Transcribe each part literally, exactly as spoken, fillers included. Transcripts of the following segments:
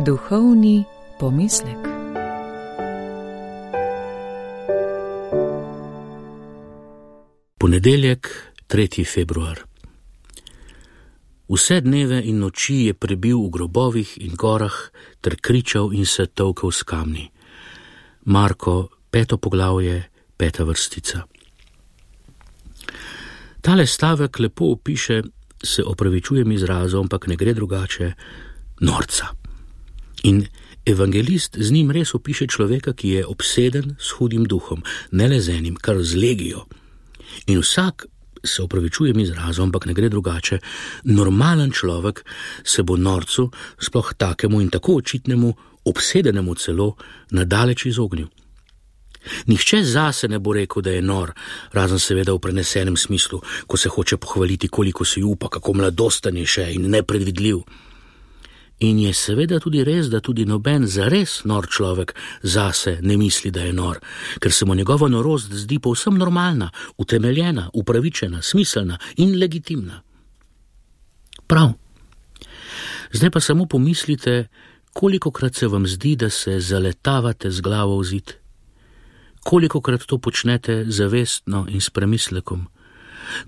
Duhovni pomislek. Ponedeljek, tretji februar. Vse dneve in noči je prebil v grobovih in gorah ter kričal in se tolkel s kamni. Marko, peto poglavje, peta vrstica. Tale stavek lepo opiše, se opravičujem izrazom, ampak ne gre drugače, norca. In evangelist z njim res opiše človeka, ki je obseden s hudim duhom, ne le z enim, kar z legijo. In vsak, se opravičujem izrazom, ampak ne gre drugače, normalen človek se bo norcu, sploh takemu in tako očitnemu, obsedenemu celo, nadaleč izognil. Nihče zase ne bo rekel, da je nor, razen seveda v prenesenem smislu, ko se hoče pohvaliti, koliko si upa, kako mladostan je še in nepredvidljiv. In je seveda tudi res, da tudi noben zares nor človek zase ne misli, da je nor, ker se mu njegova norost zdi povsem normalna, utemeljena, upravičena, smiselna in legitimna. Prav. Zdaj pa samo pomislite, kolikokrat se vam zdi, da se zaletavate z glavo v zid. Kolikokrat to počnete zavestno in s premislekom.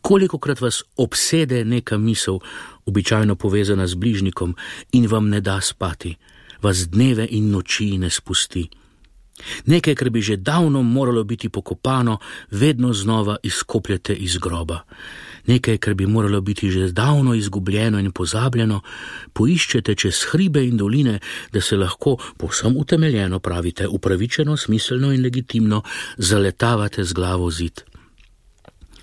Kolikokrat vas obsede neka misel, običajno povezana z bližnikom, in vam ne da spati, vas dneve in noči ne spusti. Nekaj, kar bi že davno moralo biti pokopano, vedno znova izkopljete iz groba. Nekaj, kar bi moralo biti že davno izgubljeno in pozabljeno, poiščete čez hribe in doline, da se lahko povsem utemeljeno, pravite, upravičeno, smiselno in legitimno zaletavate z glavo v zid.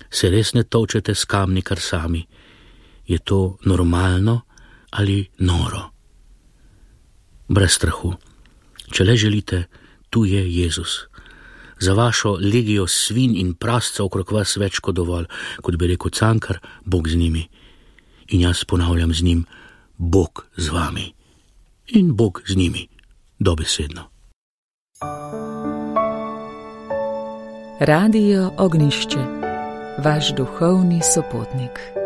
Se res ne tolčete s kamni kar sami? Je to normalno ali noro? Brez strahu. Če le želite, tu je Jezus. Za vašo legijo svinj in prasca okrog vas več kot dovolj, kot bi rekel Cankar, Bog z njimi. In jaz ponavljam z njim, Bog z vami. In Bog z njimi, dobesedno. Radio Ognjišče, vaš duhovni sopotnik.